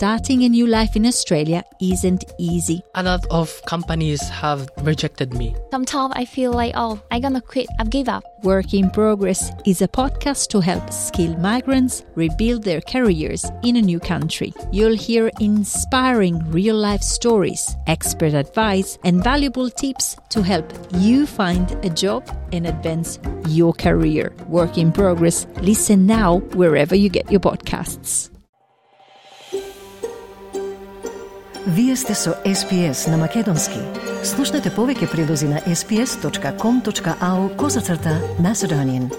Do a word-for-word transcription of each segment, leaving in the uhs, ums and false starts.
Starting a new life in Australia isn't easy. A lot of companies have rejected me. Sometimes I feel like, oh, I'm gonna quit, I've give up. Work in Progress is a podcast to help skilled migrants rebuild their careers in a new country. You'll hear inspiring real-life stories, expert advice, and valuable tips to help you find a job and advance your career. Work in Progress. Listen now wherever you get your podcasts. Вие сте со Ес Би Ес на Македонски. Слушнете повеќе прилози на ес би ес точка ком точка ау козацрта Macedonian.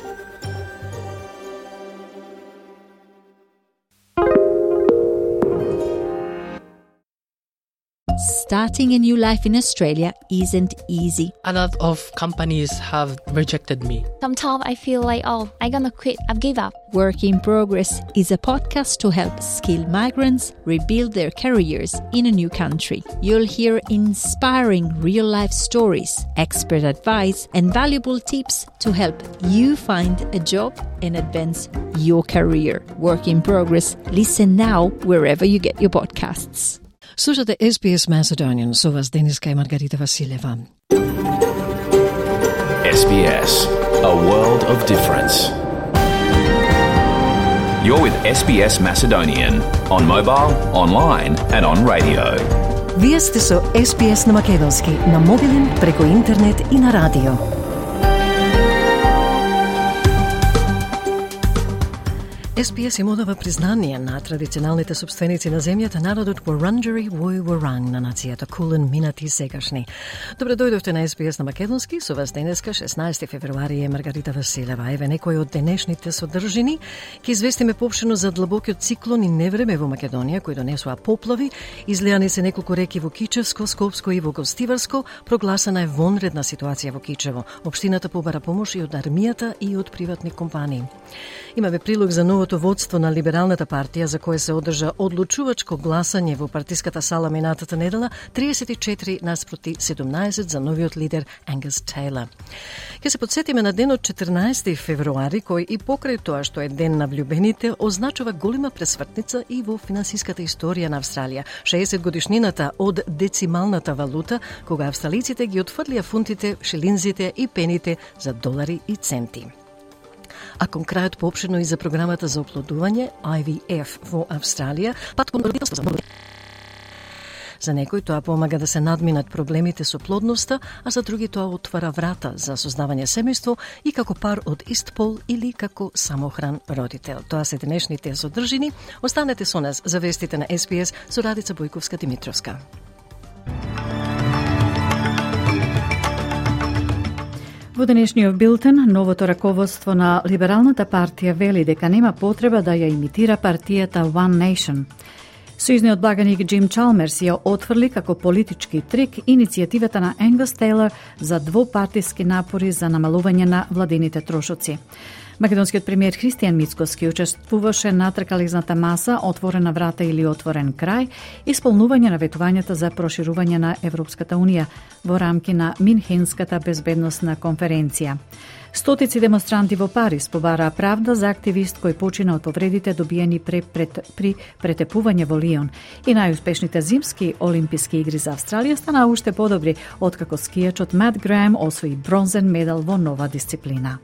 Starting a new life in Australia isn't easy. A lot of companies have rejected me. Sometimes I feel like, oh, I'm gonna quit, I've give up. Work in Progress is a podcast to help skilled migrants rebuild their careers in a new country. You'll hear inspiring real-life stories, expert advice, and valuable tips to help you find a job and advance your career. Work in Progress. Listen now wherever you get your podcasts. Слушате Ес Би Ес Macedonian, со вас Дениска и Маргарита Василева. Ес Би Ес, a world of difference. You're with Ес Би Ес Macedonian on mobile, online and on radio. Вие сте со Ес Би Ес на Македонски, на мобилен, преку интернет и на радио. Ес Би Ес им одава признание на традиционалните собственици на земјата, народот Вуранџери вој Вуранг на нацијата Кулен, минати и сегашни. Добре дојдовте на Ес Би Ес на Македонски, со вас денеска шеснаесети февруари е Маргарита Василева. Еве некои од денешните содржини. Ќе известиме поопштено за длабокиот циклон и невреме во Македонија, кои донесува поплави, излеани се неколку реки во Кичевско, Скопско и во Гостиварско, прогласена е вонредна ситуација во Кичево. Општината побара помош и од армијата и од приватни компании. Имаме прилог за новото водство на Либералната партија, за кое се одржа одлучувачко гласање во партиската сала минатата недела, триесет и четири наспроти седумнаесет за новиот лидер Ангус Тейлор. Ќе се подсетиме на денот четрнаесети февруари, кој и покрај тоа што е ден на влюбените, означува голема пресвртница и во финансиската историја на Австралија. шеесет годишнината од децималната валута, кога австралиците ги отфрлија фунтите, шилинзите и пените за долари и центи. А кон крајот поопштено и за програмата за оплодување Ай Ви Еф во Австралија, пат кон родителство за многу. За некои тоа помага да се надминат проблемите со плодноста, а за други тоа отвара врата за создавање семејство и како пар од ист пол или како самохран родител. Тоа се денешните содржини. Останете со нас за вестите на Ес Би Ес со Радица Бојковска-Димитровска. Во денешниот билтен, новото раководство на Либералната партија вели дека нема потреба да ја имитира партијата One Nation. Сојузниот благаник Джим Чалмерс ја отфрли како политички трик иницијативата на Ангус Тейлор за двопартиски напори за намалување на владините трошоци. Македонскиот премиер Христијан Мицкоски учествуваше на тркалезната маса Отворена врата или Отворен крај, исполнување на ветувањата за проширување на Европската Унија во рамки на Минхенската безбедносна конференција. Стотици демонстранти во Париз побараа правда за активист кој почина од повредите добиени при, пред, при претепување во Лион. И најуспешните зимски олимписки игри за Австралија станаа уште подобри, откако скијачот Мат Греем освои бронзен медал во нова дисциплина.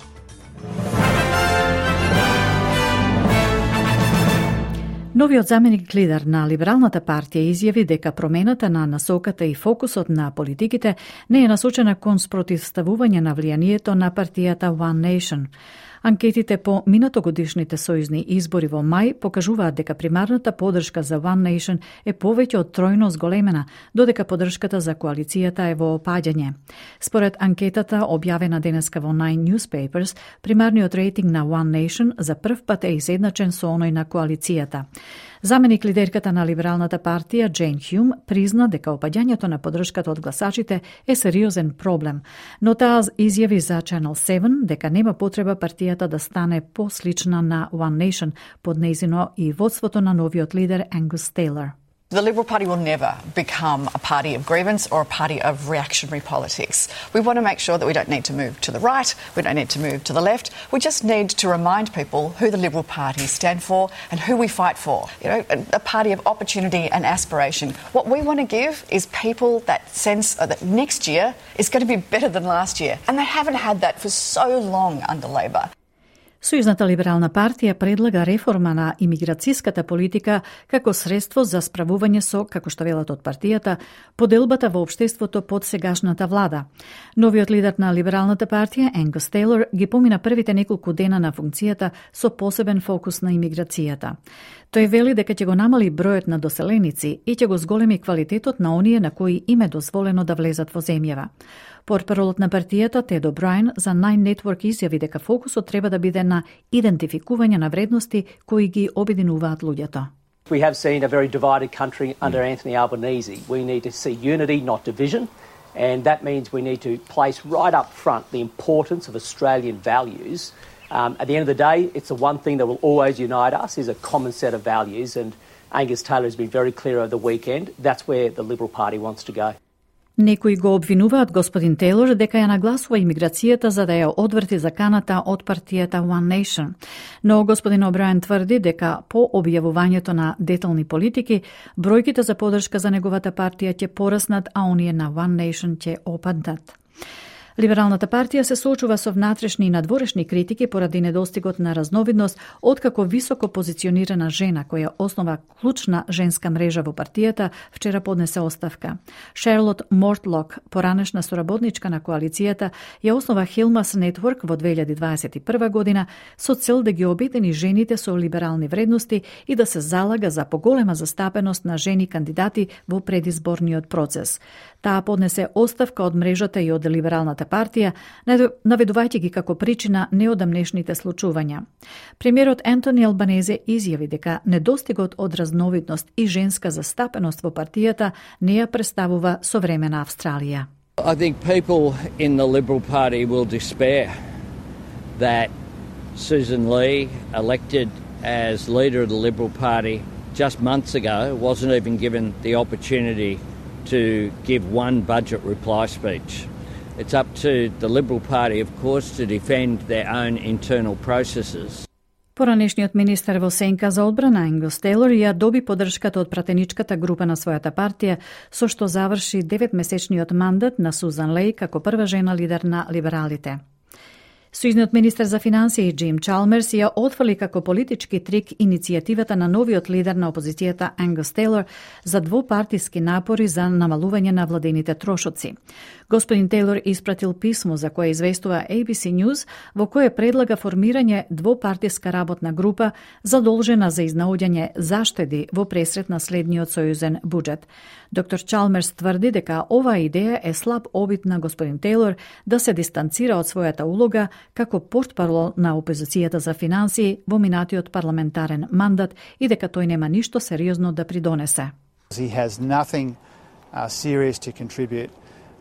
Новиот заменик лидер на Либералната партија изјави дека промената на насоката и фокусот на политиките не е насочена кон спротивставување на влијанието на партијата One Nation. Анкетите по минатогодишните сојузни избори во мај покажуваат дека примарната поддршка за One Nation е повеќе од тројно зголемена, додека поддршката за коалицијата е во опаѓање. Според анкетата објавена денеска во Nine Newspapers, примарниот рейтинг на One Nation за прв пат е изедначен со оној на коалицијата. Заменик лидерката на Либералната партија Джейн Хјум призна дека опаѓањето на поддршката од гласачите е сериозен проблем, но таа изјави за Channel седум дека нема потреба партијата да стане послична на One Nation под нејзино и водството на новиот лидер Ангус Тейлор. The Liberal Party will never become a party of grievance or a party of reactionary politics. We want to make sure that we don't need to move to the right, we don't need to move to the left. We just need to remind people who the Liberal Party stand for and who we fight for. You know, a, a party of opportunity and aspiration. What we want to give is people that sense that next year is going to be better than last year. And they haven't had that for so long under Labor. Сојузната либерална партија предлага реформа на имиграцијската политика како средство за справување со, како што велат од партијата, поделбата во општеството под сегашната влада. Новиот лидер на либералната партија, Ангус Тейлор, ги помина првите неколку дена на функцијата со посебен фокус на имиграцијата. Тој вели дека ќе го намали бројот на доселеници и ќе го зголеми квалитетот на оние на кои им е дозволено да влезат во земјава. Портпаролот на партијата Тед О'Брајен за Nine Network изјави дека фокусот треба да биде на идентификување на вредности кои ги обединуваат луѓето. We have seen a very divided country under Anthony Albanese. We need to see unity, not division, and that means we need to place right up front the importance of Australian values. Um, at the end of the day, it's the one thing that will always unite us is a common set of values, and Angus Taylor has been very clear over the weekend. That's where the Liberal Party wants to go. Некои го обвинуваат господин Тейлор дека ја нагласува имиграцијата за да ја одврти заканата од партијата One Nation. Но господин О'Брајен тврди дека по објавувањето на детални политики, бројките за поддршка за неговата партија ќе пораснат, а оние на One Nation ќе опаднат. Либералната партија се соочува со внатрешни и надворешни критики поради недостигот на разновидност, откако високо позиционирана жена која основа клучна женска мрежа во партијата вчера поднесе оставка. Шарлот Мортлок, поранешна соработничка на коалицијата, ја основа Хилмас Network во две илјади дваесет и прва година со цел да ги обедини жените со либерални вредности и да се залага за поголема застапеност на жени кандидати во предизборниот процес. Таа поднесе оставка од мрежата и од либералната партија, наведувајќи ги како причина неодамнешните случувања. Премиерот Ентони Албанезе изјави дека недостигот од разновидност и женска застапеност во партијата не ја представува современа Австралија. I think people in the Liberal Party will despair that Susan Lee, elected as leader of the Liberal Party just months ago, wasn't even given the opportunity to give one budget reply speech. It's up to the Liberal Party, of course, to defend their own internal processes. Поранешниот министер во сенка за одбрана Ангус Тейлор ја доби поддршката од пратеничката група на својата партија, со што заврши деветмесечниот мандат на Сузан Лей како прва жена лидер на либералите. Сојузниот министер за финансии Джим Чалмерс ја отфрли како политички трик иницијативата на новиот лидер на опозицијата Ангус Тейлор за двопартиски напори за намалување на владените трошоци. Господин Тейлор испратил писмо за кое известува A B C News, во кое предлага формирање двопартиска работна група задолжена за изнаоѓање заштеди во пресрет на следниот сојузен буџет. Доктор Чалмерс тврди дека оваа идеја е слаб обид на господин Тейлор да се дистанцира од својата улога како портпарол на опозицијата за финансии во минатиот парламентарен мандат и дека тој нема ништо сериозно да придонесе. He has nothing uh, serious to contribute.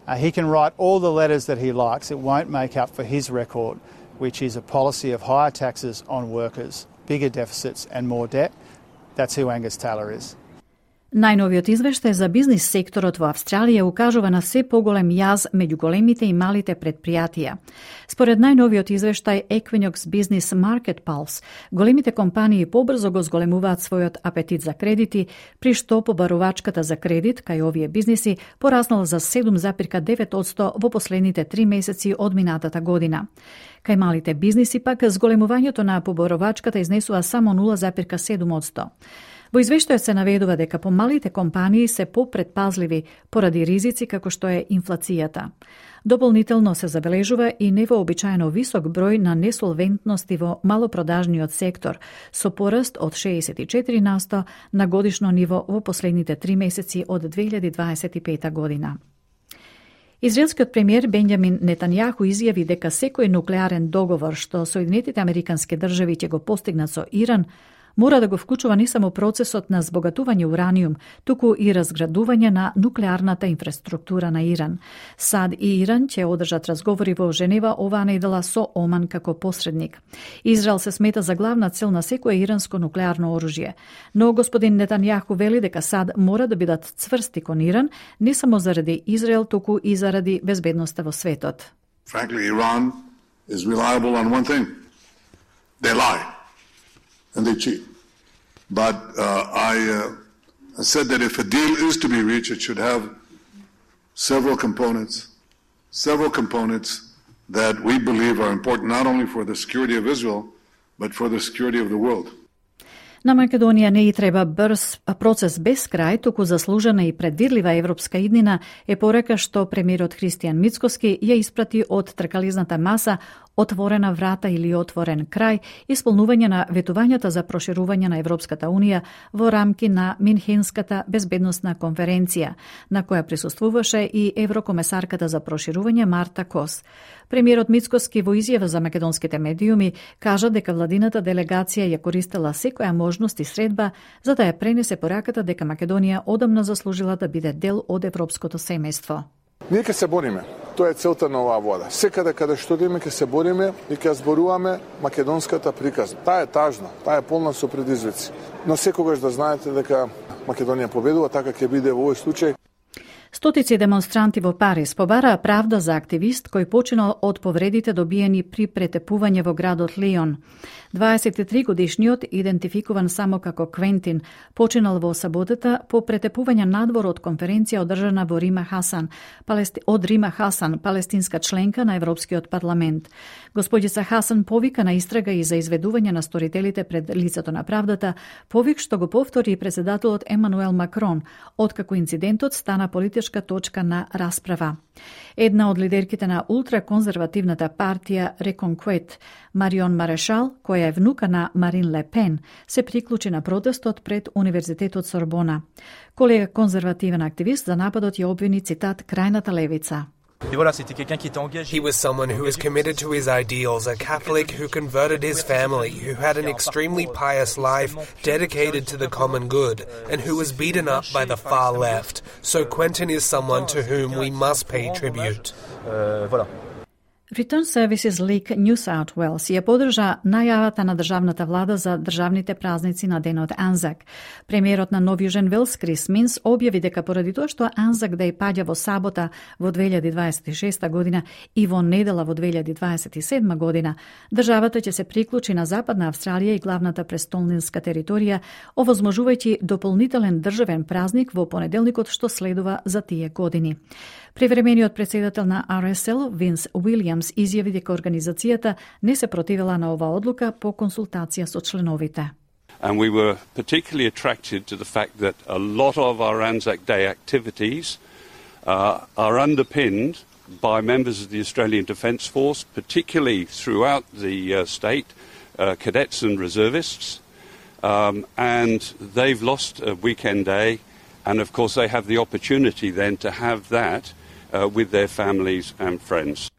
Uh, he can write all the letters that he likes. It won't make up for his record, which is a policy of higher taxes on workers, bigger deficits and more debt. That's who Angus Taylor is. Најновиот извештај за бизнис секторот во Австралија укажува на се поголем јаз меѓу големите и малите предпријатија. Според најновиот извештај Equinox Business Market Pulse, големите компании побрзо го зголемуваат својот апетит за кредити, при што побарувачката за кредит кај овие бизниси пораснала за седум запирка девет одсто во последните три месеци од минатата година. Кај малите бизниси пак зголемувањето на побарувачката изнесува само нула запирка седум одсто. Во извештајот се наведува дека помалите компании се попредпазливи поради ризици како што е инфлацијата. Дополнително се забележува и невообичаено висок број на несолвентности во малопродажниот сектор, со пораст од шеесет и четири на сто на годишно ниво во последните три месеци од две илјади дваесет и пета година. Израелскиот премиер Бенјамин Нетањаху изјави дека секој нуклеарен договор што Соединетите Американски држави ќе го постигнат со Иран мора да го вклучува не само процесот на збогатување ураниум, туку и разградување на нуклеарната инфраструктура на Иран. САД и Иран ќе одржат разговори во Женева оваа недела со Оман како посредник. Израел се смета за главна цел на секое иранско нуклеарно оружје, но господин Нетањаху вели дека САД мора да бидат цврсти кон Иран, не само заради Израел, туку и заради безбедноста во светот. Frankly, Iran is reliable on one thing. They lie and they cheat. But uh, I uh, said that if a deal is to be reached, it should have several components, several components that we believe are important not only for the security of Israel, but for the security of the world. На Македонија не и треба брз процес без крај, туку заслужена и предвидлива европска иднина е порека што премиерот Христијан Мицкоски ја испрати од тркализната маса отворена врата или отворен крај, исполнување на ветувањата за проширување на Европската Унија во рамки на Минхенската безбедносна конференција, на која присуствуваше и еврокомесарката за проширување Марта Кос. Премиерот Мицкоски во изјава за македонските медиуми кажа дека владината делегација ја користела секоја можност и средба за да ја пренесе пораката дека Македонија одамна заслужила да биде дел од европското семејство. Ние ќе се бориме. Тоа е целта на оваа вода. Секаде каде што идеме ќе се бориме и ќе зборуваме македонската приказна. Таа е тажна, таа е полна со предизвици. Но секогаш да знаете дека Македонија победува, така ќе биде во овој случај. Стотици демонстранти во Париз побараа правда за активист кој починал од повредите добиени при претепување во градот Лион. дваесет и три годишниот, идентификуван само како Квентин, починал во саботата по претепување надвор од конференција одржана во Рима Хасан, палести... од Рима Хасан, палестинска членка на Европскиот парламент. Господица Хасан повика на истрага и за изведување на сторителите пред лицето на правдата, повик што го повтори и председателот Емануел Макрон, откако инцидентот стана политичка точка на расправа. Една од лидерките на ултраконзервативната партија Реконквет, Марион Марешал, која е внука на Марин Ле Пен, се приклучи на протестот пред Универзитетот Сорбона. Колега конзервативен активист за нападот ја обвини цитат крајната левица. He was someone who was committed to his ideals, a Catholic who converted his family, who had an extremely pious life dedicated to the common good, and who was beaten up by the far left. So Quentin is someone to whom we must pay tribute. Return Services League New South Wales ја подржа најавата на државната влада за државните празници на денот Анзак. Премиерот на Нов Јужен Велс Крис Минс објави дека поради тоа што Анзак да ја паѓа во сабота во две илјади дваесет и шеста година и во недела во две илјади дваесет и седма година, државата ќе се приклучи на Западна Австралија и главната престолнинска територија, овозможувајќи дополнителен државен празник во понеделникот што следува за тие години. Привремениот председател на Ар Ес Ел, Винс Уилјамс, изјави дека организацијата не се противела на оваа одлука по консултација со членовите. And we were particularly attracted to the fact that a lot of our Anzac Day activities uh, are underpinned by members of the Australian Defence Force, particularly throughout the uh, state, uh, cadets and reservists, um, and they've lost a weekend day, and of course they have the opportunity then to have that uh, with their families and friends.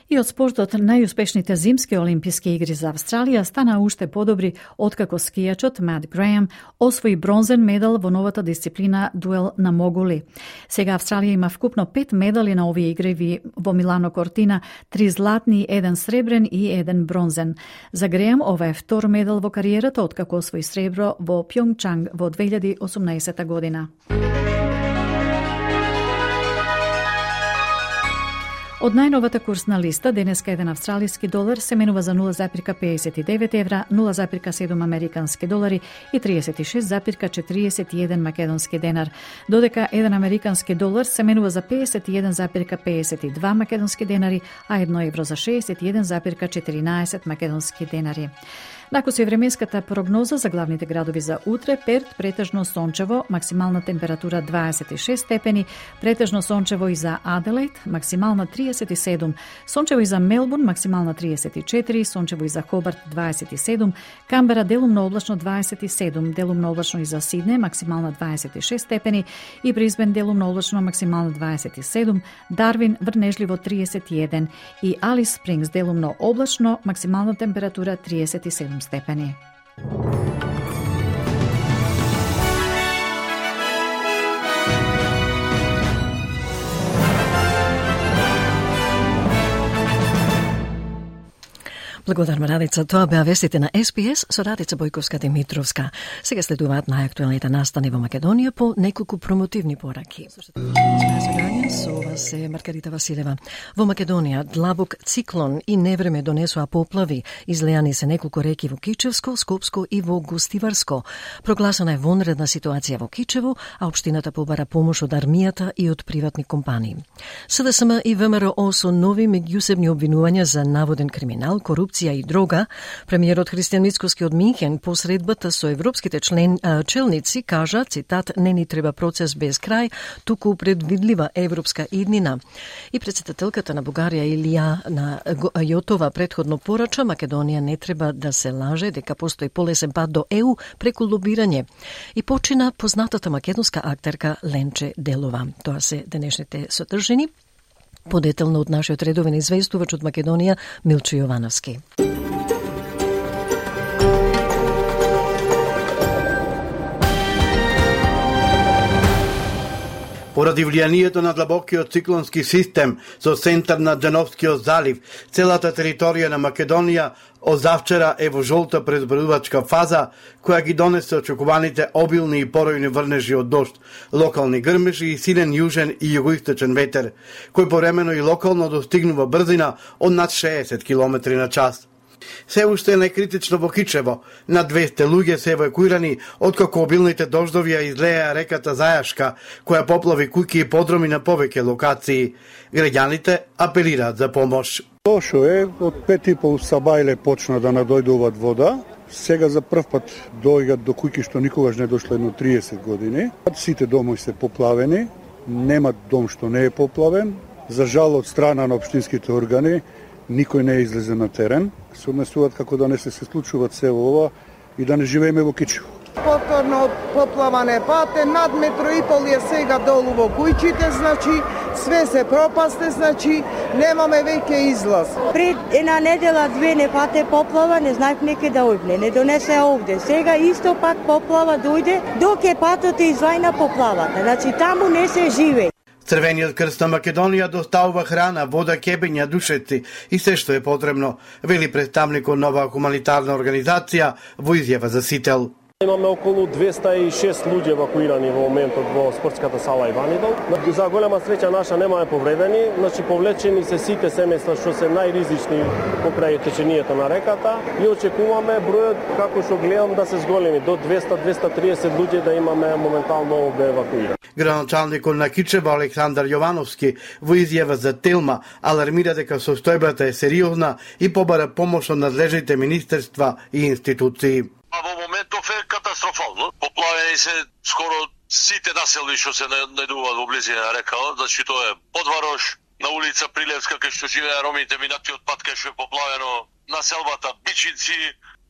И од спортот, најуспешните зимски олимписки игри за Австралија стана уште подобри откако скијачот Мат Греем освои бронзен медал во новата дисциплина дуел на могули. Сега Австралија има вкупно пет медали на овие игри во Милано Кортина, три златни, еден сребрен и еден бронзен. За Греем ова е втор медал во кариерата откако освои сребро во Пјонгчанг во две илјади и осумнаесета година. Од најновата курсна листа, денеска еден австралиски долар се менува за нула запирка пеесет и девет евра, нула запирка седум американски долари и триесет и шест запирка четириесет и еден македонски денар, додека еден американски долар се менува за пеесет и еден запирка пеесет и два македонски денари, а едно евро за шеесет и еден запирка четиринаесет македонски денари. Накоси временската прогноза за главните градови за утре: Перт претежно сончево, максимална температура дваесет и шест степени, претежно сончево и за Аделаид, максимална триесет и седум, сончево и за Мелбурн, максимална триесет и четири, сончево и за Хобарт дваесет и седум, Камбера делумно облачно дваесет и седум, делумно облачно и за Сидне, максимална дваесет и шест степени и Брисбен делумно облачно, максимална дваесет и седум, Дарвин врнежливо триесет и еден и Алис Спрингс делумно облачно, максимална температура триесет и седум степени. Благодарам, Радица. Тоа беа вестите на Ес Би Ес со Радица Бојковска-Димитровска. Сега следуваат најактуелните настани во Македонија по неколку промотивни пораки. Со вас е Маргарита Василева. Во Македонија длабок циклон и невреме донесоа поплави. Излеани се неколку реки во Кичевско, Скопско и во Гостиварско. Прогласена е вонредна ситуација во Кичево, а општината побара помош од армијата и од приватни компании. Се Де Ес Ем и Ве Ем Р О со нови меѓусебни обвинувања за наводен криминал, корупција и дрога. Премиерот Христијан Мицкоски од Минхен по средбата со европските член, челници кажа, цитат, не ни треба процес без крај, туку предвидлива европска иднина. И председателката на Бугарија Илија на Јотова предходно порача, Македонија не треба да се лаже дека постои полесен пат до Е У преку лобирање. И почина познатата македонска актерка Ленче Делова. Тоа се денешните содржини. Подетелно од нашиот редовен известувач од Македонија Милчо Јовановски. Поради влијанието на длабокиот циклонски систем со центар на Џановскиот залив, целата територија на Македонија озавчера е во жолта презбројувачка фаза, која ги донесе очекуваните обилни и поројни врнежи од дожд, локални грмежи и силен јужен и југоисточен ветер, кој повремено и локално достигнува брзина од над шеесет километри на час. Се уште е најкритично во Кичево. На двесте луѓе се евакуирани откако обилните дождови ја излеја реката Зајашка, која поплави куќи и подроми на повеќе локации. Граѓаните апелираат за помош. Лошо е, од пет и пол сабајле почна да надојдуваат вода. Сега за прв пат доаѓаат до куќи што никогаш не дошле едно триесет години. Сите домови се поплавени, нема дом што не е поплавен. За жал од страна на општинските органи никој не излезе на терен. Се однесуваат како да не се се случуваат се ова и да не живееме во Кичево. Повторно поплаване пате, над метро и пол е сега долу во кујчите, значи све се пропасте, значи немаме веќе излаз. Пред една недела две не пате поплава, не знаев неке да ојбне, не донесе овде. Сега исто пат поплава дојде, док е патот е извајна поплавата, значи таму не се живее. Црвениот крст на Македонија доставува храна, вода, кебења, душеци и се што е потребно, вели представникот нова хуманитарна организација во изјава за Сител. Имаме околу двеста и шест луѓе евакуирани во моментот во спортската сала Иванидол. За голема среќа наша немаме повредени, значи повлечени се сите семејства што се најризични покрај течението на реката и очекуваме бројот како што гледам да се зголеми до двеста до двеста и триесет луѓе да имаме моментално овде евакуирани. Градоначалникот на Кичево Александар Јовановски во изјава за Телма алармира дека состојбата е сериозна и побара помош од надлежните министерства и институции. Во моментов е катастрофално. Поплавени се скоро сите населби што се најдуваат во близина на реката, значи тоа е Подварош, на улица Прилевска кај што живеа ромите, минатиот пат кај што е поплавено, населбата Бичинци,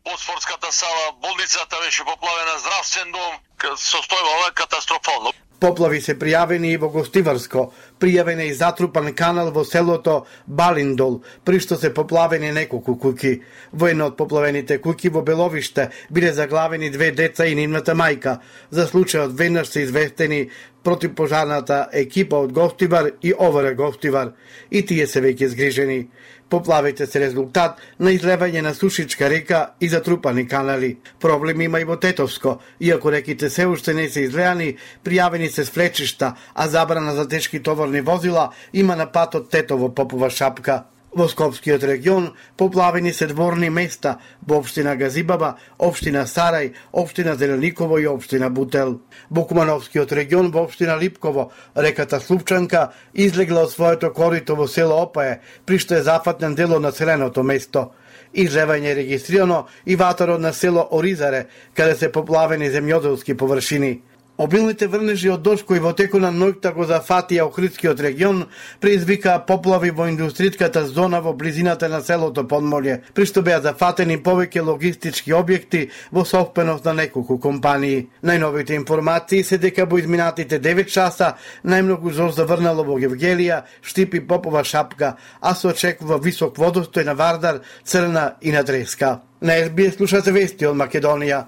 по спортската сала, болницата беше поплавена, здравствен дом, состојба е катастрофално. Поплави се пријавени и во Гостиварско, пријавен е и затрупан канал во селото Балиндол, при што се поплавени неколку куќи. Во една од поплавените куќи во Беловиште биле заглавени две деца и нивната мајка. За случајот веднаш се известени противпожарната екипа од Гостивар и О В Р Гостивар. И тие се веќе згрижени. Поплавите се резултат на излевање на сушичка река и затрупани канали. Проблеми има и во Тетовско. Иако реките се уште не се излеани, пријавени се свлечишта, а забрана за тешки товарни возила има на патот Тетово-Попова Шапка. Во Скопскиот регион поплавени се дворни места во општина Газибаба, општина Сарај, општина Зелениково и општина Бутел. Во Кумановскиот регион во општина Липково реката Слупчанка излегла од своето корито во село Опаје, при што е зафатен дел од населеното место. Излевање е регистрирано и ватарот на село Оризаре, каде се поплавени земјоделски површини. Обилните врнежи од дожд кои во теку на ноќта го зафатија Охридскиот регион предизвикаа поплави во индустријската зона во близината на селото Подмолје, при што беа зафатени повеќе логистички објекти во собственост на неколку компании. Најновите информации се дека во изминатите девет часа најмногу дожд заврнало во Гевгелија, Штип и Попова Шапка, а се очекува висок водостој на Вардар, Црна и на Дреска. На Ес Би Ес слушате вести од Македонија.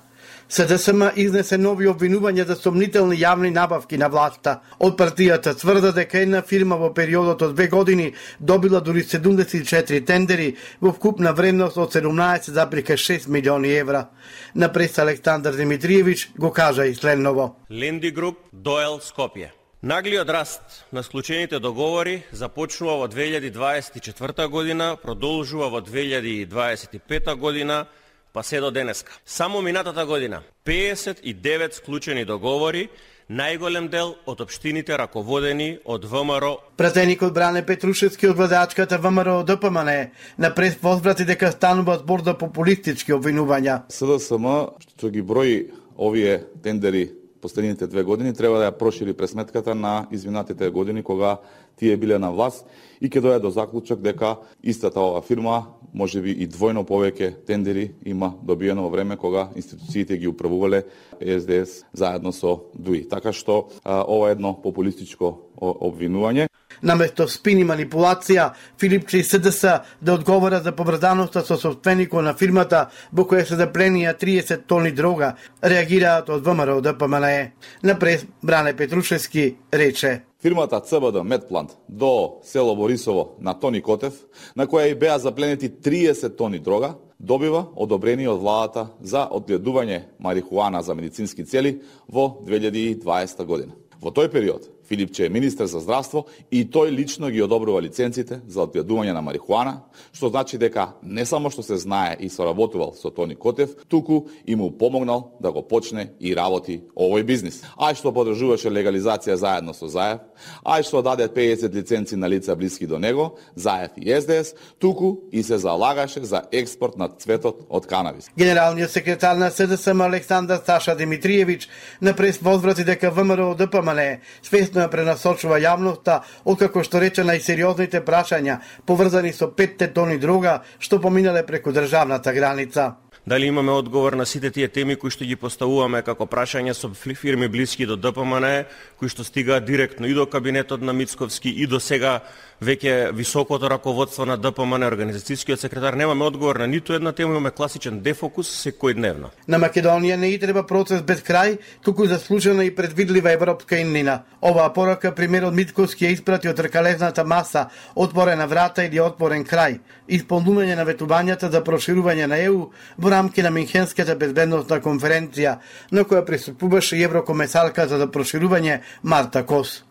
СДСМ изнесе нови обвинувања за сомнителни јавни набавки на власта. Од партијата тврда дека една фирма во периодот од две години добила дури седумдесет и четири тендери во вкупна вредност од седумнаесет зарез шест милиони евра. На прес Александар Димитриевич го кажа и следново. Ленди Груп, Доел, Скопје. Наглиот раст на склучените договори започнува во две илјади дваесет и четврта година, продолжува во две илјади дваесет и пета година, па се до денеска. Само минатата година педесет и девет склучени договори, најголем дел од општините раководени од ВМРО. Пратеникот Бране Петрушевски од владеачката ВМРО ДПМН на прес возврати дека станува збор за популистички обвинувања. СДСМ што ги брои овие тендери последните две години треба да ја прошири пресметката на изминатите години кога тие биле на власт и ќе дојде до заклучок дека истата ова фирма можеби и двојно повеќе тендери има добиено во време кога институциите ги управувале СДС заедно со ДУИ. Така што а, ова е едно популистичко обвинување. Наместо спин и манипулација, Филипче и СДС да одговора за поврзаноста со собственикот на фирмата во која се запленија триесет тони дрога, реагираат од ВМРО ДПМН. Напред Бране Петрушевски рече: Фирмата ЦБД Медплант до село Борисово на Тони Котев, на која и беа запленети триесет тони дрога, добива одобрение од владата за одгледување марихуана за медицински цели во две илјади и дваесета година. Во тој период Филипче е министер за здравство и тој лично ги одобрува лиценците за одгледување на марихуана, што значи дека не само што се знае и соработувал со Тони Котев, туку и му помогнал да го почне и работи овој бизнис. Ај што подржуваше легализација заедно со Заев, ај што даде педесет лиценци на лица блиски до него, Заев и СДС, туку и се залагаше за експорт на цветот од канабис. Генералниот секретар на СДСМ Александар Саша Димитриевич на прес возврати дека ВМРО ДПМН свесно ја пренасочува јавноста, откако што рече најсериозните прашања поврзани со петте тони дрога што поминале преку државната граница. Дали имаме одговор на сите тие теми кои што ги поставуваме како прашања со фирми блиски до ДПМН, кои што стигаат директно и до кабинетот на Мицковски и до сега веќе високото раководство на ДПМН, организацијскиот секретар, немаме одговор на ниту една тема, имаме класичен дефокус секојдневно. На Македонија не и треба процес без крај, туку заслужена и предвидлива европска иднина. Оваа порака премиерот Мицковски ја испрати од тркалезната маса, отворена врата или отворен крај, исполнување на ветувањата за проширување на ЕУ во рамки на Минхенската безбедносна конференција, на која присуствуваше и еврокомесарката за проширување Марта Кос.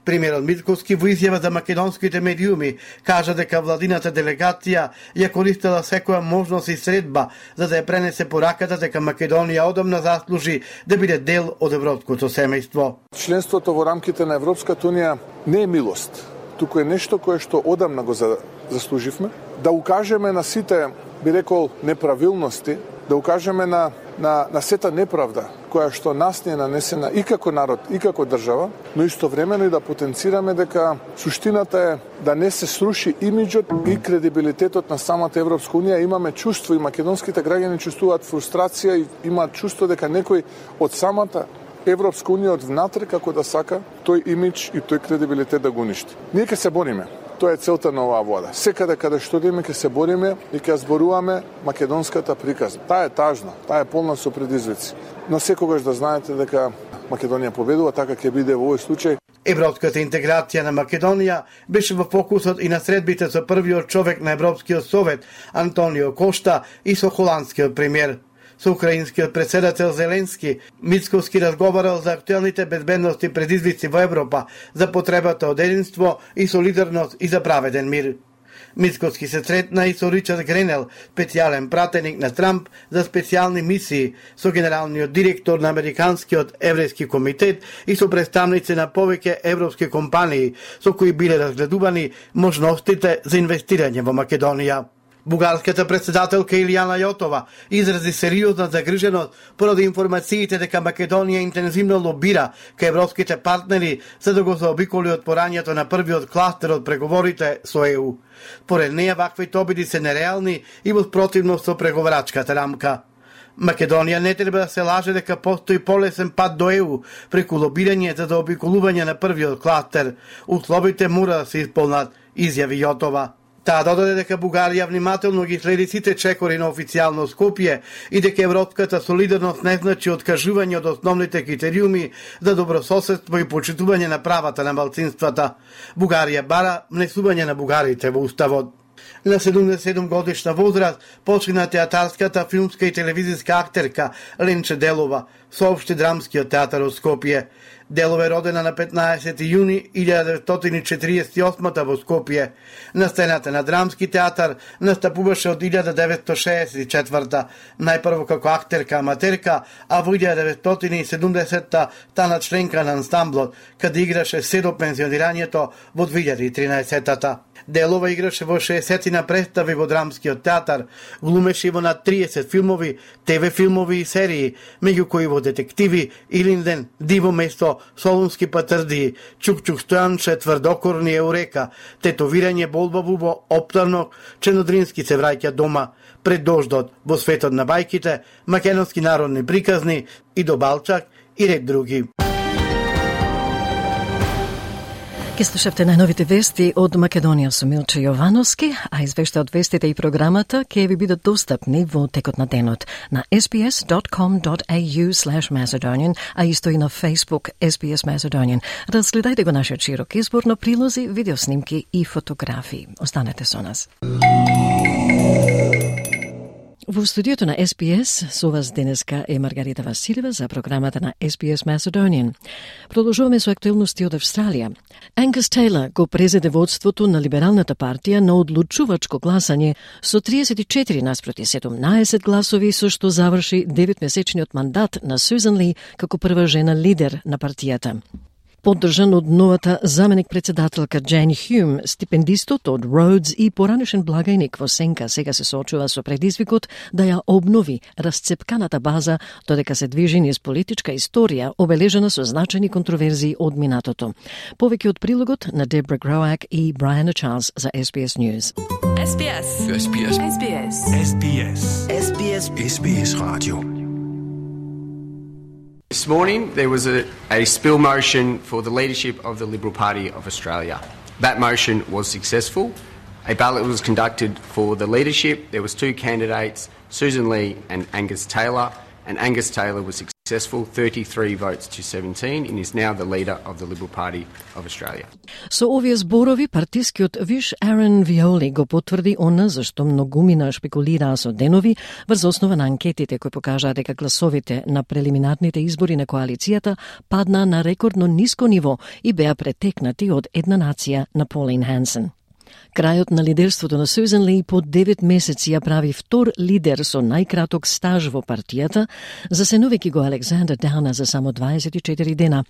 Премиерот Мицковски во изјава за македонските медиуми кажа дека владината делегација ја користела секоја можност и средба за да ја пренесе пораката дека Македонија одамна заслужи да биде дел од европското семејство. Членството во рамките на Европската унија не е милост, туку е нешто кое што одамна го заслуживме, да укажеме на сите, би рекол, неправилности, да укажеме на, на, на сета неправда која што нас не е нанесена и како народ, и како држава, но истовремено и да потенцираме дека суштината е да не се сруши имиджот и кредибилитетот на самата Европска унија. Имаме чувство и македонските граѓани чувствуваат фрустрација и имаат чувство дека некој од самата Европска унија од внатре како да сака тој имидж и тој кредибилитет да го уништи. Ние ќе се бориме. Тоа е целта на оваа влада. Секаде каде што идеме ќе се бориме и ќе зборуваме македонската приказна. Таа е тажна, таа е полна со предизвици. Но секогаш да знаете дека Македонија победува, така ќе биде во овој случај. Европската интеграција на Македонија беше во фокусот и на средбите со првиот човек на Европскиот совет Антонио Кошта и со холандскиот премиер. Со украинскиот председател Зеленски, Мицковски разговарал за актуелните безбедности предизвици во Европа, за потребата од единство и солидарност и за праведен мир. Мицковски се сретна и со Ричард Гренел, специјален пратеник на Трамп за специјални мисии, со генералниот директор на Американскиот еврејски комитет и со представници на повеќе европски компании, со кои биле разгледувани можностите за инвестирање во Македонија. Бугарската председателка Илијана Јотова изрази сериозна загриженост поради информациите дека Македонија интензивно лобира кај европските партнери за да го заобиколи отпорањето на првиот кластер од преговорите со ЕУ. Поред неја ваквите обиди се нереални и во спротивност со преговарачката рамка. Македонија не треба да се лаже дека постои полесен пат до ЕУ преку лобирање за заобиколување на првиот кластер. Условите мора да се исполнат, изјави Јотова. Таа додаде дека Бугарија внимателно ги следи сите чекори на официјално Скопје и дека европската солидарност не значи откажување од основните критериуми за добрососедство и почитување на правата на малцинствата. Бугарија бара внесување на бугарите во уставот. На седумдесет и седум годишна возраст почина театарската, филмска и телевизиска актерка Ленче Делова, соопшти Драмскиот театар од Скопје. Делова е родена на петнаесети јуни илјада деветстотини четиридесет и осма во Скопје. На сцената на Драмски театар настапуваше од илјада деветстотини шеесет и четврта, најпрво како актерка аматерка, а во илјада деветстотини и седумдесетта стана членка на ансамблот, каде играше се до пензионирањето во две илјади и тринаесетта. Делова играше во шеесетина представи во Драмскиот театар, глумеше во над триесет филмови, те ве филмови и серии, меѓу кои во Детективи, Илинден, Диво место, Солунски патрди, Чук-Чук Стојанче, Тврдокорни, Еурека, Тетовирање, Болба Бубо, Оптарнок, Чернодрински се враќа дома, Пред дождот, Во светот на бајките, Македонски народни приказни, и до Балчак и ред други. Ке слушавте најновите вести од Македонија со Милче Јовановски, а извешта од вестите и програмата ќе ви бидат достапни во текот на денот на ес би ес дот ком дот ей ю слеш Macedonian, а исто и на Facebook ес би ес Macedonian. Разгледајте го нашиот широк избор на прилози, видеоснимки и фотографии. Останете со нас. Во студиото на ес би ес со вас денеска е Маргарита Василева за програмата на ес би ес Macedonian. Продолжуваме со актуелности од Австралија. Ангус Тейлор го презеде водството на Либералната партија на одлучувачко гласање со триесет и четири наспроти седумнаесет гласови, со што заврши деветмесечниот мандат на Сюзан Ли како прва жена лидер на партијата. Поддржан од новата заменик-председателка Джейн Хјум, стипендистот од Роудс и поранешен благајник во сенка сега се соочува со предизвикот да ја обнови расцепканата база, додека се движи низ политичка историја обележена со значајни контроверзии од минатото. Повеќе од прилогот на Дебра Гроак и Брайана Чарлс за ес би ес News. ес би ес. ес би ес. ес би ес. ес би ес. ес би ес. ес би ес Radio. This morning, there was a, a spill motion for the leadership of the Liberal Party of Australia. That motion was successful. A ballot was conducted for the leadership. There was two candidates, Susan Lee and Angus Taylor, and Angus Taylor was successful, thirty-three votes to seventeen, and is now the leader of the Liberal Party of Australia. Со овие зборови, партискиот виш Арен Виоли го потврди она за што многумина шпекулираа со денови врз основа на анкетите кои покажаа дека гласовите на прелиминарните избори на коалицијата паднаа на рекордно ниско ниво и беа претекнати од една нација на Полин Хансен. Крајот на лидерството на Сюзан Ли по девет месеци ја прави втор лидер со најкраток стаж во партијата, засенувајќи го Александър Дауна за само дваесет и четири дена.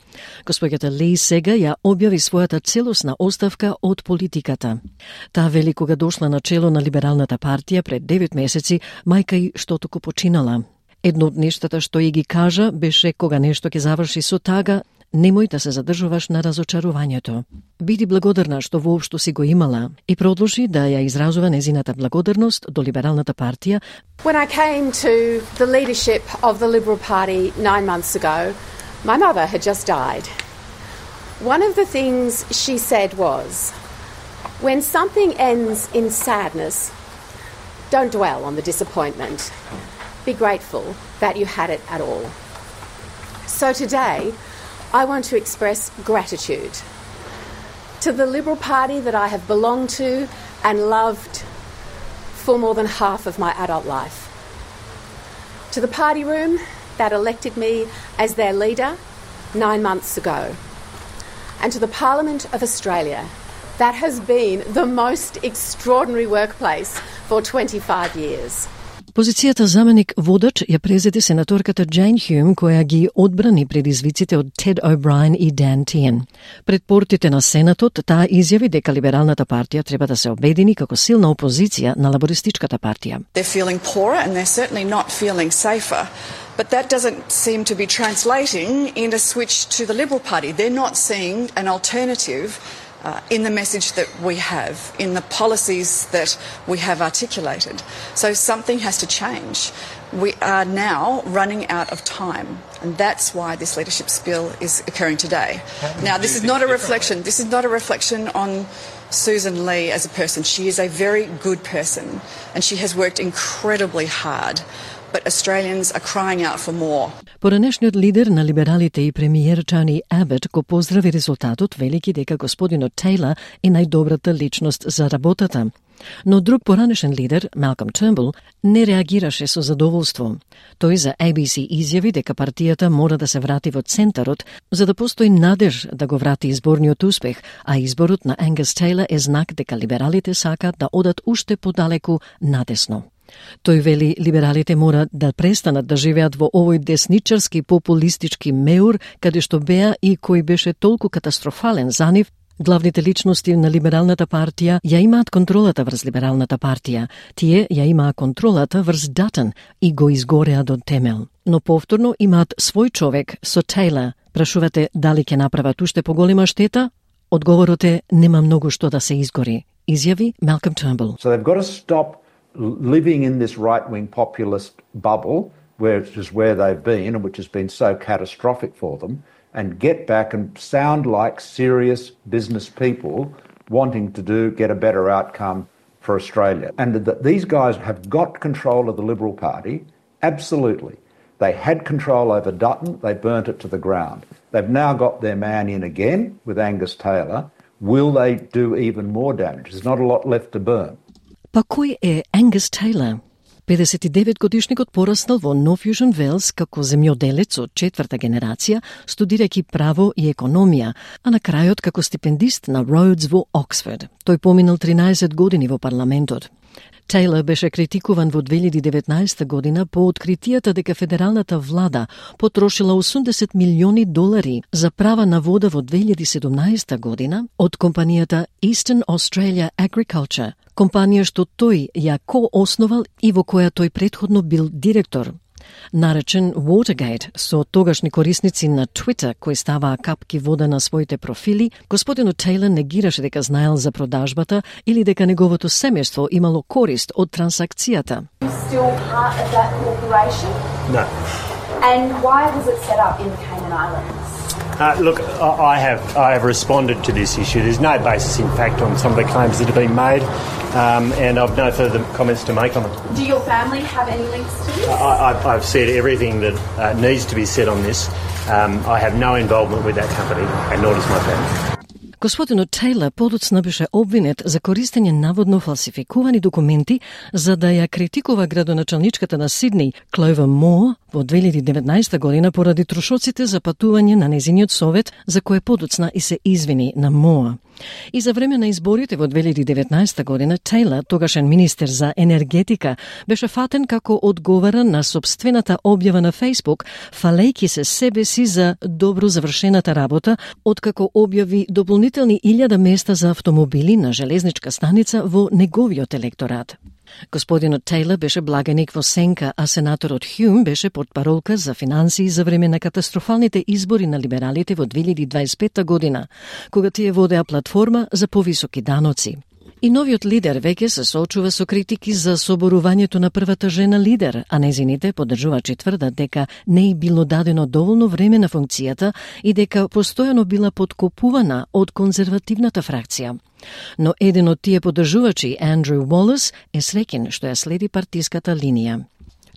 Господјата Ли сега ја објави својата целосна оставка од политиката. Таа вели кога дошла на чело на Либералната партија пред девет месеци, мајка и што току починала. Едно од нештата што ја ги кажа беше кога нешто ќе заврши со тага, немој да се задржуваш на разочарувањето. Биди благодарна што воопшто си го имала и продолжи да ја изразува незината благодарност до Либералната партија. When I came to the leadership of the Liberal Party nine months ago, my mother had just died. One of the things she said was, when something ends in sadness, don't dwell on the disappointment. Be grateful that you had it at all. So today, I want to express gratitude to the Liberal Party that I have belonged to and loved for more than half of my adult life. To the party room that elected me as their leader nine months ago. And to the Parliament of Australia that has been the most extraordinary workplace for twenty-five years. Позицијата заменик водач ја презеде сенаторката Джейн Хјум, која ги одбрани предизвиците од Тед О'Брајен и Дан Тиен. Пред портите на Сенатот, таа изјави дека Либералната партија треба да се обедини како силна опозиција на лабористичката партија. They're feeling poorer and they're certainly not feeling safer. But that doesn't seem to be translating in a switch to the Liberal Party. They're not seeing an alternative Uh, in the message that we have, in the policies that we have articulated. So something has to change. We are now running out of time, and that's why this leadership spill is occurring today. Now, this is not a reflection. This is not a reflection on Susan Lee as a person. She is a very good person and she has worked incredibly hard, but Australians are crying out for more. Поранешниот лидер на либералите и премиер Тони Абот го поздрави резултатот, велики дека господинот Тейлор е најдобрата личност за работата. Но друг поранешен лидер, Малком Тернбул, не реагираше со задоволство. Тој за A B C изјави дека партијата мора да се врати во центарот, за да постои надеж да го врати изборниот успех, а изборот на Ангус Тейлор е знак дека либералите сакаат да одат уште подалеку надесно. Тој вели либералите мора да престанат да живеат во овој десничарски популистички меур, каде што беа и кој беше толку катастрофален за нив. Главните личности на либералната партија ја имаат контролата врз либералната партија. Тие ја имаа контролата врз Датон и го изгореа до темел. Но повторно имаат свој човек со Тейлор. Прашувате дали ќе направат уште поголема штета? Одговорот е нема многу што да се изгори, изјави Малком Тернбул. So they've got to stop living in this right-wing populist bubble, which is where they've been and which has been so catastrophic for them, and get back and sound like serious business people wanting to do get a better outcome for Australia. And that these guys have got control of the Liberal Party, absolutely. They had control over Dutton, they burnt it to the ground. They've now got their man in again with Angus Taylor. Will they do even more damage? There's not a lot left to burn. Па кој е Ангус Тейлор? педесет и девет годишникот пораснал во Нов Јужен Велс како земјоделец од четврта генерација, студирајќи право и економија, а на крајот како стипендист на Rhodes во Оксфорд. Тој поминал тринаесет години во парламентот. Тейлор беше критикуван во две илјади и деветнаесета година по откритијата дека федералната влада потрошила осумдесет милиони долари за права на вода во две илјади и седумнаесета година од компанијата Eastern Australia Agriculture, компанија што тој ја ко-основал и во која тој претходно бил директор. Наречен Watergate со тогашни корисници на Twitter кои ставаа капки вода на своите профили, господинот Тейлор негираше дека знаел за продажбата или дека неговото семејство имало корист од трансакцијата. Still part of that corporation? No. And why was it set up in the Cayman Islands? Uh, look, I have I have responded to this issue. There's no basis in fact on some of the claims that have been made, um, and I've no further comments to make on it. Do your family have any links to this? I, I've, I've said everything that uh, needs to be said on this. Um, I have no involvement with that company, and nor does my family. Господинот Тейлор подоцна беше обвинет за користење наводно фалсификувани документи за да ја критикува градоначалничката на Сидни, Кловер Моор, во две илјади и деветнаесета година поради трошоците за патување на незиниот совет, за кое подоцна и се извини на Моор. И за време на изборите во две илјади и деветнаесета година, Тейлор, тогашен министер за енергетика, беше фатен како одговара на собствената објава на Facebook, фалејќи се себе си за добро завршената работа, откако објави дополнителни илјада места за автомобили на железничка станица во неговиот електорат. Господинот Тейлор беше благаник во сенка, а сенаторот Хјум беше портпаролка за финансии за време на катастрофалните избори на либералите во две илјади и дваесет и пета година, кога тие водеа платформа за повисоки даноци. И новиот лидер веќе се соочува со критики за соборувањето на првата жена лидер, а незините поддржувачи тврдат дека не и било дадено доволно време на функцијата и дека постојано била подкопувана од конзервативната фракција. Но еден од тие поддржувачи, Андрю Уолес, е среќен што ја следи партиската линија.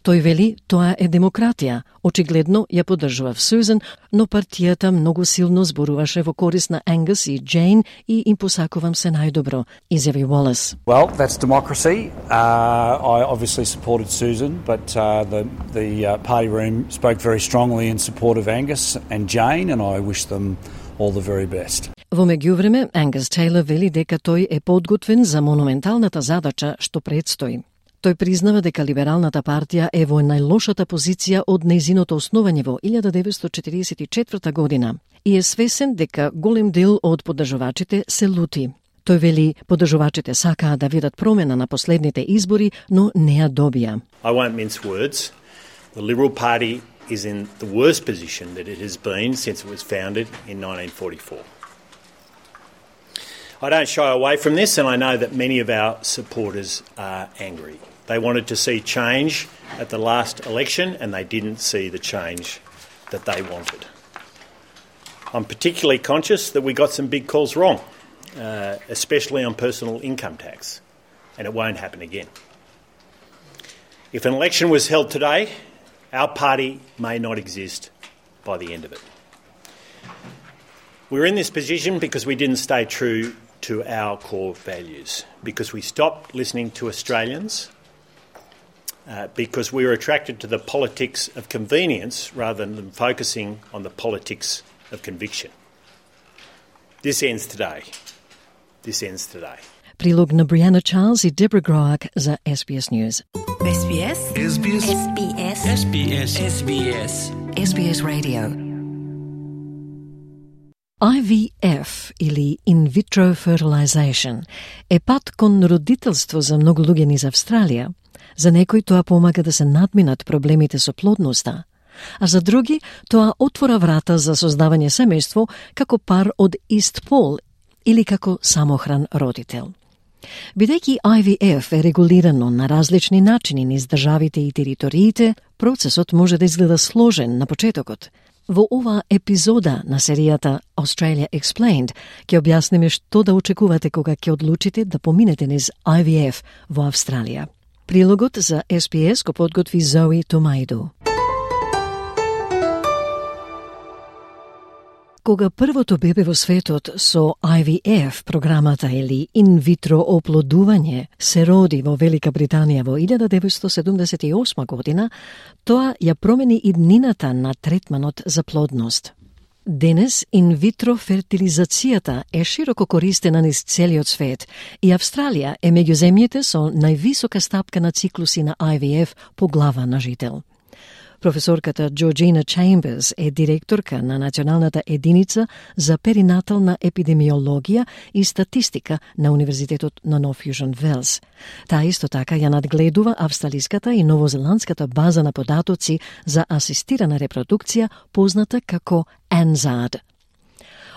Тој вели тоа е демократија. Очигледно ја поддржува Сузан, но партијата многу силно зборуваше во корист на Ангус и Джейн и им посакувам се најдобро, изјави Уолес. Well, that's democracy. Uh, I obviously supported Susan, but uh, the, the uh, party room spoke very strongly in support of Angus and Jane, and I wish them all the very best. Во меѓувреме, Ангус Тейлор вели дека тој е подготвен за монументалната задача што предстои. Тој признава дека либералната партија е во најлошата позиција од нејзиното основање во илјада деветстотини четиридесет и четврта година и е свесен дека голем дел од поддржувачите се лути. Тој вели поддржувачите сакаа да видат промена на последните избори, но не ја добија. I won't mince words. The Liberal Party is in the worst position that it has been since it was founded in nineteen forty-four. I don't shy away from this, and I know that many of our supporters are angry. They wanted to see change at the last election, and they didn't see the change that they wanted. I'm particularly conscious that we got some big calls wrong. uh, especially on personal income tax, and it won't happen again. If an election was held today, our party may not exist by the end of it. We're in this position because we didn't stay true to our core values, because we stopped listening to Australians, uh, because we were attracted to the politics of convenience rather than focusing on the politics of conviction. This ends today. This ends today. Прилог на Бриана Чарлз и Дебра Гроак за Ес Би Ес News. Ес Би Ес. Ес Би Ес. Ес Би Ес. Ес Би Ес. Ес Би Ес. Ес Би Ес Radio. I V F или in vitro fertilization е пат кон родителство за многу луѓе низ Австралија. За некои тоа помага да се надминат проблемите со плодноста, а за други тоа отвора врата за создавање семејство како пар од ист пол или како самохран родител. Бидејќи I V F е регулирано на различни начини низ државите и териториите, процесот може да изгледа сложен на почетокот. Во ова епизода на серијата Australia Explained ќе објасниме што да очекувате кога ќе одлучите да поминете низ I V F во Австралија. Прилогот за Ес Би Ес го подготви Зои Томајду. Кога првото бебе во светот со I V F програмата или инвитро оплодување се роди во Велика Британија во илјада деветстотини седумдесет и осма година, тоа ја промени иднината на третманот за плодност. Денес инвитро фертилизацијата е широко користена низ целиот свет и Австралија е меѓу земјите со највисока стапка на циклуси на I V F по глава на жител. Професорката Джорджина Чемберс е директорка на Националната единица за перинатална епидемиологија и статистика на Универзитетот на Нов Јужен Велс. Таа исто така ја надгледува австралиската и новозеландската база на податоци за асистирана репродукција, позната како ANZARD.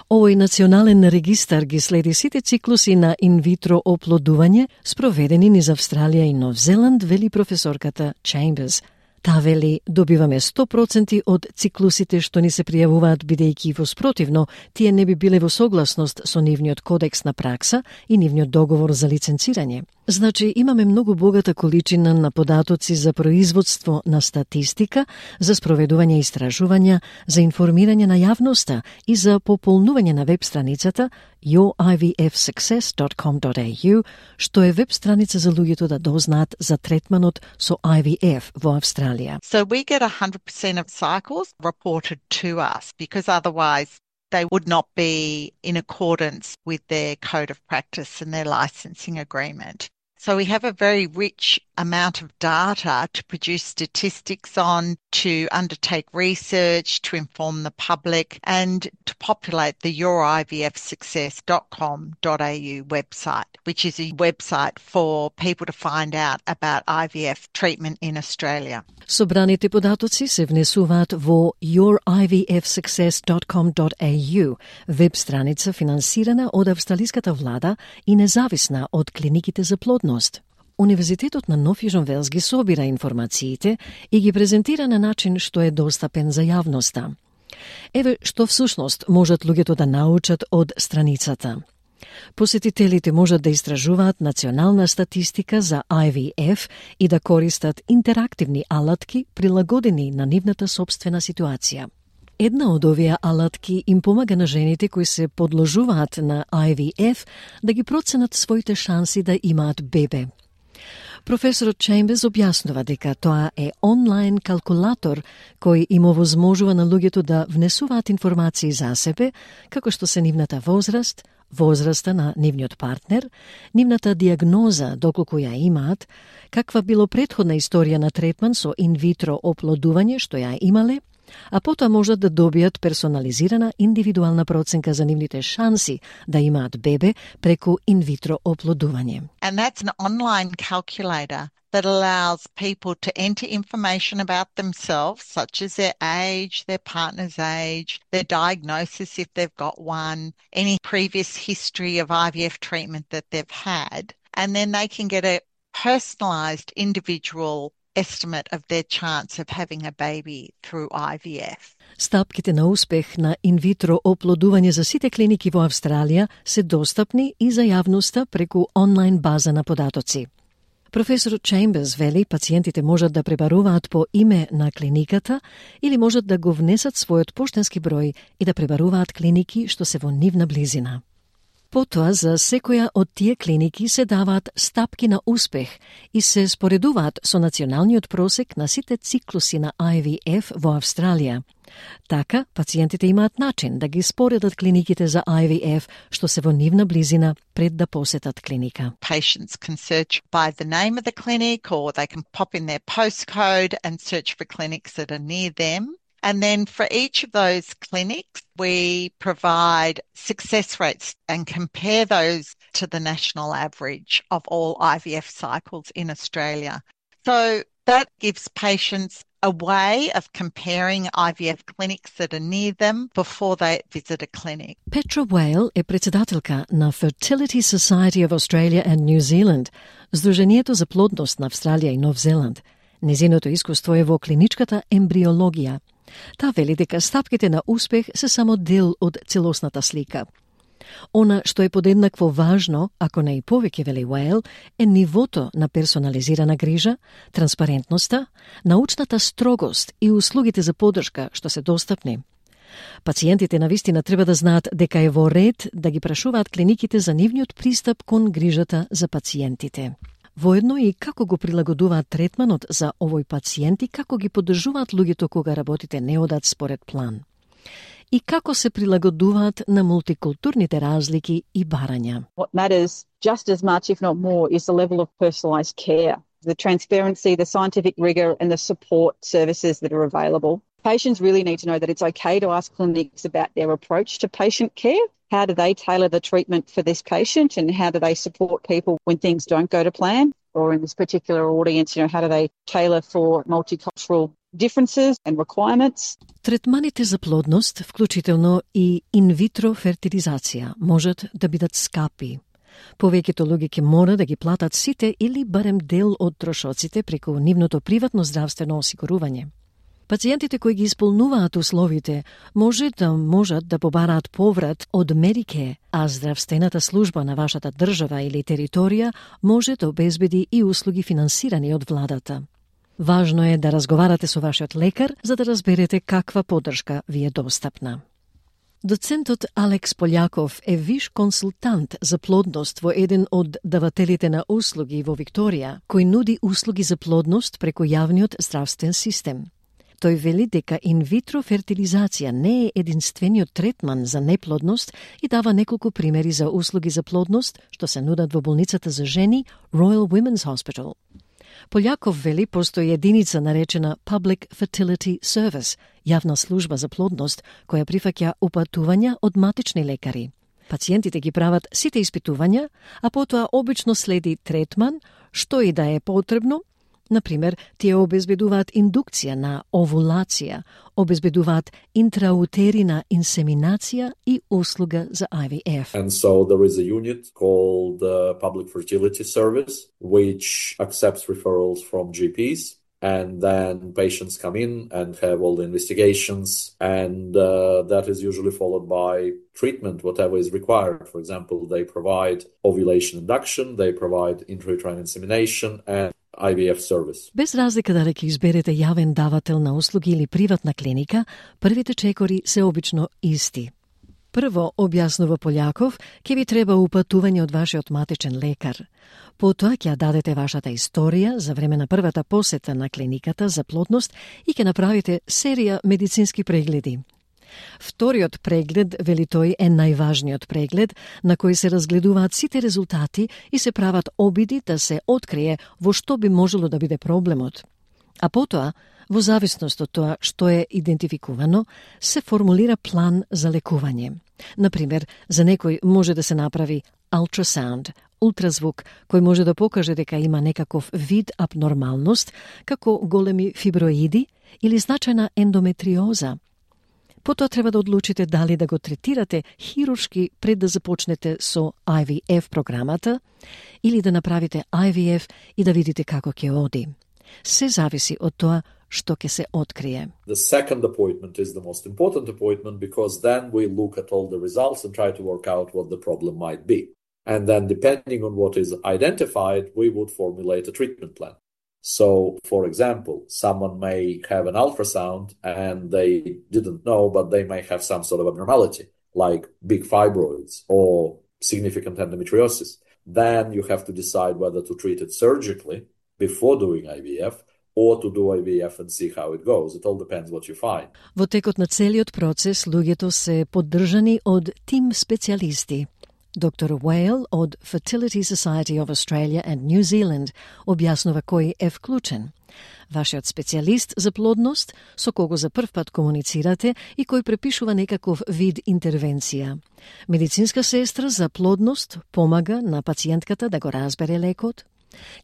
Овој национален регистар ги следи сите циклуси на инвитро оплодување спроведени низ Австралија и Нов Зеланд, вели професорката Чемберс. Таа вели, добиваме сто проценти од циклусите што ни се пријавуваат, бидејќи во спротивно тие не би биле во согласност со нивниот кодекс на пракса и нивниот договор за лиценцирање. Значи, имаме многу богата количина на податоци за производство на статистика, за спроведување истражувања, за информирање на јавноста и за пополнување на веб страницата your I V F success dot com dot A U, што е веб страница за луѓето да дознаат за третманот со I V F во Австралија. So we get one hundred percent of cycles reported to us, because otherwise they would not be in accordance with their code of practice and their licensing agreement. So we have a very rich amount of data to produce statistics on, to undertake research, to inform the public, and to populate the your I V F success dot com dot A U website, which is a website for people to find out about I V F treatment in Australia. Собраните податоци се внесуваат во your I V F success dot com dot A U, веб страница финансирана од австралиската влада и независна од клиниките за плодност. Универзитетот на Нов Јужен Велс ги собира информациите и ги презентира на начин што е достапен за јавноста. Еве што всушност можат луѓето да научат од страницата. Посетителите можат да истражуваат национална статистика за I V F и да користат интерактивни алатки прилагодени на нивната собствена ситуација. Една од овие алатки им помага на жените кои се подложуваат на I V F да ги проценат своите шанси да имаат бебе. Професорот Чемберс објаснува дека тоа е онлайн калкулатор кој им овозможува на луѓето да внесуваат информации за себе, како што се нивната возраст, возраста на нивниот партнер, нивната диагноза доколку ја имаат, каква било претходна историја на третман со инвитро оплодување што ја имале, а потоа можат да добијат персонализирана индивидуална проценка за нивните шанси да имаат бебе преку инвитро оплодување. And that's an online calculator that allows people to enter information about themselves, such as their age, their partner's age, their diagnosis if they've got one, any previous history of I V F treatment that they've had, and then they can get a personalised individual estimate of their chance of having a baby through I V F. Стапките на успех на инвитро оплодување за сите клиники во Австралија се достапни и за јавноста преку онлайн база на податоци. Професор Чемберс вели пациентите можат да пребаруваат по име на клиниката или можат да го внесат својот поштенски број и да пребаруваат клиники што се во нивна близина. Потоа за секоја од тие клиники се даваат стапки на успех и се споредуваат со националниот просек на сите циклуси на I V F во Австралија. Така, пациентите имаат начин да ги споредат клиниките за I V F што се во нивна близина пред да посетат клиника. Patients can search by the name of the clinic or they can pop in their postcode and search for clinics that are near them. And then for each of those clinics, we provide success rates and compare those to the national average of all I V F cycles in Australia. So that gives patients a way of comparing I V F clinics that are near them before they visit a clinic. Petra Whale е председателка на Fertility Society of Australia and New Zealand, Сдруженијето за плодност на Австралија и Нов Зеланд. Незиното искуство е во клиничката ембриологија. Та вели дека стапките на успех се само дел од целосната слика. Она што е подеднакво важно, ако не и повеќе, вели Уейл, е нивото на персонализирана грижа, транспарентноста, научната строгост и услугите за поддршка што се достапни. Пациентите навистина треба да знаат дека е во ред да ги прашуваат клиниките за нивниот пристап кон грижата за пациентите. Воедно и како го прилагодуваат третманот за овој пациент и како ги поддржуваат луѓето кога работите не одат според план. И како се прилагодуваат на мултикултурните разлики и барања. What matters just as much, if not more, is the level of personalised care, the transparency, the scientific rigour and the support services that are available. Patients really need to know that it's okay to ask clinics about their approach to patient care. How do they tailor the treatment for this patient and how do they support people when things don't go to plan? Or in this particular audience, you know, how do they tailor for multicultural differences and requirements? Третманите за плодност, вклучително и инвитро фертилизација, можат да бидат скапи. Повеќето луѓе ќе мора да ги платат сите или барем дел од трошоците преку нивното приватно здравствено осигурување. Пациентите кои ги исполнуваат условите може да можат да побараат поврат од Медике, а здравствената служба на вашата држава или територија може да обезбеди и услуги финансирани од владата. Важно е да разговарате со вашиот лекар за да разберете каква поддршка ви е достапна. Доцентот Алекс Полјаков е виш консултант за плодност во еден од давателите на услуги во Викторија, кој нуди услуги за плодност преку јавниот здравствен систем. Тој вели дека инвитро фертилизација не е единствениот третман за неплодност и дава неколку примери за услуги за плодност што се нудат во болницата за жени Royal Women's Hospital. Полјаков вели постои единица наречена Public Fertility Service, јавна служба за плодност, која прифаќа упатувања од матични лекари. Пациентите ги прават сите испитувања, а потоа обично следи третман, што и да е потребно. Например, тие обезбедуваат индукција на овулација, обезбедуваат интраутерина инсеминација и услуга за I V F. And so there is a unit called the Public Fertility Service, which accepts referrals from G Ps. And then patients come in and have all the investigations, and uh, that is usually followed by treatment, whatever is required. For example, they provide ovulation induction, they provide intrauterine insemination, and I V F service. Без разлика дали ќе изберете јавен давател на услуги или приватна клиника, првите чекори се обично исти. Прво, објаснува Полјаков, ќе ви треба упатување од вашиот матичен лекар. Потоа ќе дадете вашата историја за време на првата посета на клиниката за плодност и ќе направите серија медицински прегледи. Вториот преглед, вели тој, е најважниот преглед на кој се разгледуваат сите резултати и се прават обиди да се открие во што би можело да биде проблемот. А потоа, во зависност од тоа што е идентификувано, се формулира план за лекување. Например, за некој може да се направи ultrasound, ултразвук, кој може да покаже дека има некаков вид абнормалност, како големи фиброиди или значајна ендометриоза. Потоа треба да одлучите дали да го третирате хируршки пред да започнете со I V F програмата или да направите I V F и да видите како ќе оди. Се зависи од тоа што ќе се открие. The second appointment is the most important appointment because then we look at all the results and try to work out what the problem might be. And then depending on what is identified, we would formulate a treatment plan. So, for example, someone may have an ultrasound and they didn't know, but they may have some sort of abnormality, like big fibroids or significant endometriosis. Then you have to decide whether to treat it surgically before doing I V F or to do I V F and see how it goes. It all depends what you find. Во текот на целиот процес, луѓето се поддржани од тим специјалисти. Доктор Whale од Fertility Society of Australia and New Zealand објаснува кој е вклучен. Вашиот специјалист за плодност, со кого за прв пат комуницирате и кој препишува некаков вид интервенција. Медицинска сестра за плодност помага на пациентката да го разбере лекот.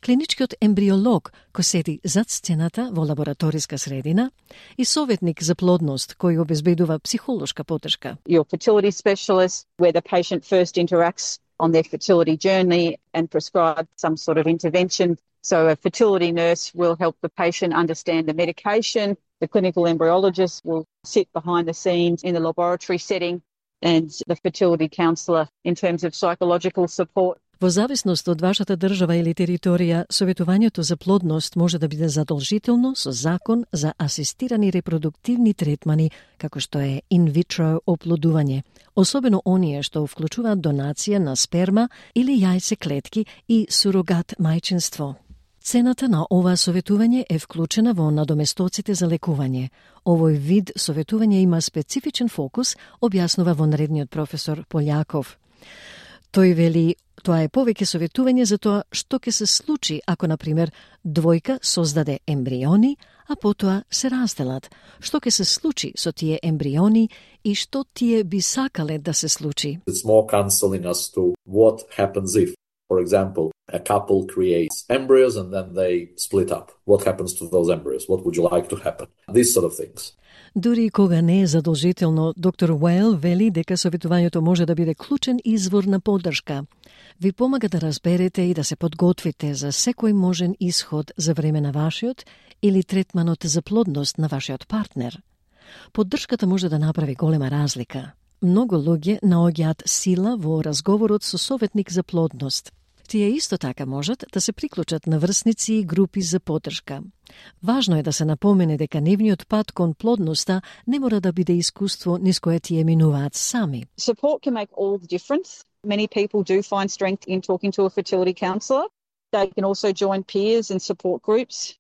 Клиничкиот ембриолог кој седи зад сцената во лабораториска средина и советник за плодност кој обезбедува психолошка поддршка. Your fertility specialist, where the patient first interacts on their fertility journey and prescribe some sort of intervention. So a fertility nurse will help the patient understand the medication. The clinical embryologist will sit behind the scenes in the laboratory setting, and the fertility counsellor in terms of psychological support. Во зависност од вашата држава или територија, советувањето за плодност може да биде задолжително со закон за асистирани репродуктивни третмани, како што е инвитро оплодување, особено оние што вклучуваат донација на сперма или јајцеклетки и сурогат мајчинство. Цената на ова советување е вклучена во надоместоците за лекување. Овој вид советување има специфичен фокус, објаснува вонредниот професор Полјаков. Тој вели, тоа е повеќе советување за тоа што ќе се случи ако, например, двојка создаде ембриони, а потоа се разделат. Што ќе се случи со тие ембриони и што тие би сакале да се случи. It's more counseling as to what happens if, for example, a couple creates embryos and then they split up. What happens to those embryos? What would you like to happen? These sort of things. Дури кога не е задолжително, доктор Уейл вели дека советувањето може да биде клучен извор на поддршка. Ви помага да разберете и да се подготвите за секој можен исход за време на вашиот или третманот за плодност на вашиот партнер. Поддршката може да направи голема разлика. Многу луѓе наоѓаат сила во разговорот со советник за плодност. Тие исто така можат да се приклучат на врсници и групи за поддршка. Важно е да се напомене дека нивниот пат кон плодноста не мора да биде искуство низ кое тие минуваат сами. Support can make all the difference. Many people do find strength in talking to a fertility counsellor. They can also join peers and support groups.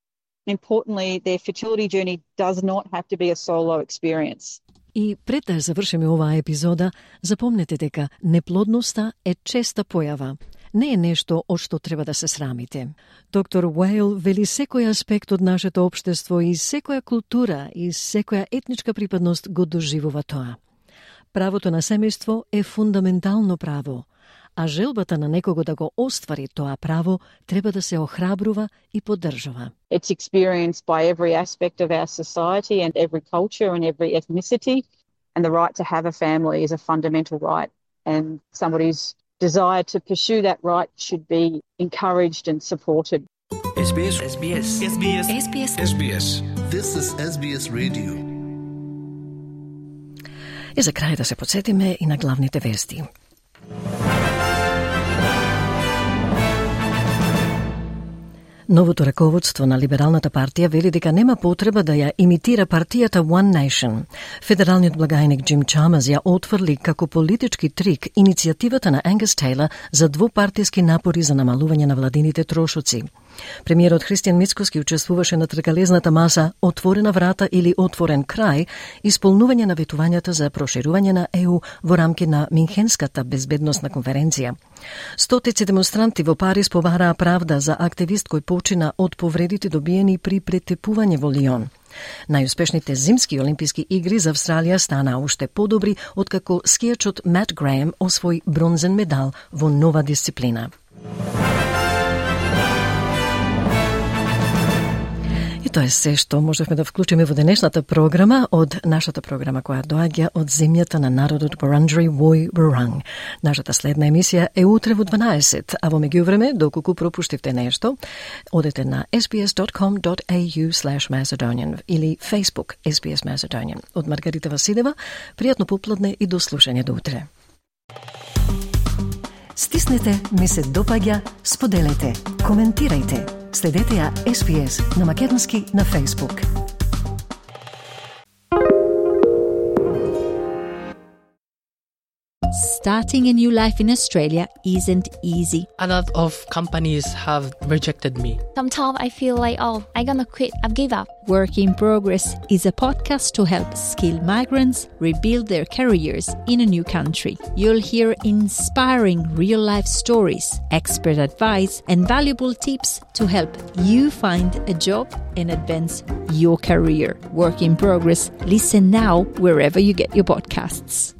Importantly, their fertility journey does not have to be a solo experience. И пред да завршиме оваа епизода, запомнете дека неплодноста е честа појава. Не е нешто од што треба да се срамите. Доктор Уейл вели секој аспект од нашето општество и секоја култура и секоја етничка припадност го доживува тоа. Правото на семејство е фундаментално право, а желбата на некого да го оствари тоа право треба да се охрабрува и поддржува. It's experienced by every aspect of our society and every culture and every ethnicity, and the right to have a family is a fundamental right, and somebody's desire to pursue that right should be encouraged and supported. S B S S B S S B S S B S S B S This is S B S Radio. И за крај да се подсетиме и на главните вести. Новото раководство на Либералната партија вели дека нема потреба да ја имитира партијата One Nation. Федералниот благајник Джим Чамаз ја отфрли како политички трик иницијативата на Ангус Тейлор за двупартиски напори за намалување на владините трошоци. Премиерот Христијан Мицкоски учествуваше на тркалезната маса Отворена врата или Отворен крај, исполнување на ветувањата за проширување на Е У во рамки на Минхенската безбедносна конференција. Стотици демонстранти во Париз побараа правда за активист кој почина од повредите добиени при претепување во Лион. Најуспешните зимски олимписки игри за Австралија станаа уште подобри откако скијачот Мат Греем освои бронзен медал во нова дисциплина. И тоа е се што можевме да вклучиме во денешната програма од нашата програма која доаѓа од земјата на народот Wurundjeri Woi Wurrung. Нашата следна емисија е утре во дванаесет, а во меѓувреме, доколку пропуштивте нешто, одете на ес би ес dot com dot a u slash Macedonian или Facebook ес би ес Macedonian. Од Маргарита Василева, пријатно попладне и до слушање до утре. Стиснете, ми се допаѓа, споделете, коментирајте. Следете ја ес би ес на македонски на Facebook. Starting a new life in Australia isn't easy. A lot of companies have rejected me. Sometimes I feel like, oh, I'm gonna quit, I've give up. Work in Progress is a podcast to help skilled migrants rebuild their careers in a new country. You'll hear inspiring real-life stories, expert advice, and valuable tips to help you find a job and advance your career. Work in Progress. Listen now wherever you get your podcasts.